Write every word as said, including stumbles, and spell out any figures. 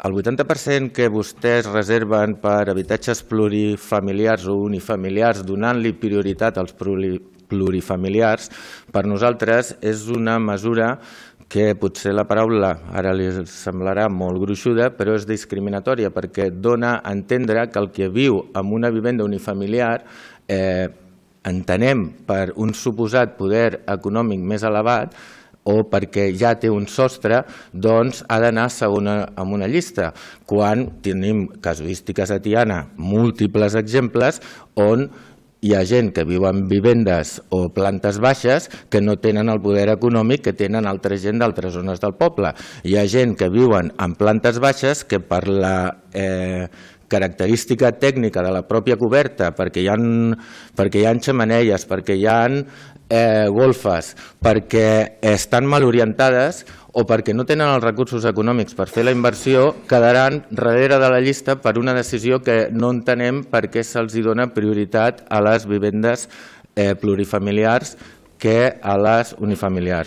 el vuitanta per cent que vostès reserven per habitatges plurifamiliars o unifamiliars, donant-li prioritat als plurifamiliars, per nosaltres és una mesura que potser la paraula ara li semblarà molt gruixuda, però és discriminatòria perquè dona a entendre que el que viu en una vivenda unifamiliar eh, entenem per un suposat poder econòmic més elevat o perquè ja té un sostre, doncs ha d'anar segona en una llista, quan tenim casuístiques a Tiana, múltiples exemples, on hi ha gent que viu en vivendes o plantes baixes que no tenen el poder econòmic que tenen altra gent d'altres zones del poble. Hi ha gent que viuen en plantes baixes que per la eh, característica tècnica de la pròpia coberta, perquè hi ha, perquè hi ha xemeneies, perquè hi ha eh, golfes, perquè estan mal orientades o perquè no tenen els recursos econòmics per fer la inversió, quedaran darrere de la llista per una decisió que no entenem per què se'ls dona prioritat a les vivendes eh, plurifamiliars que a les unifamiliars.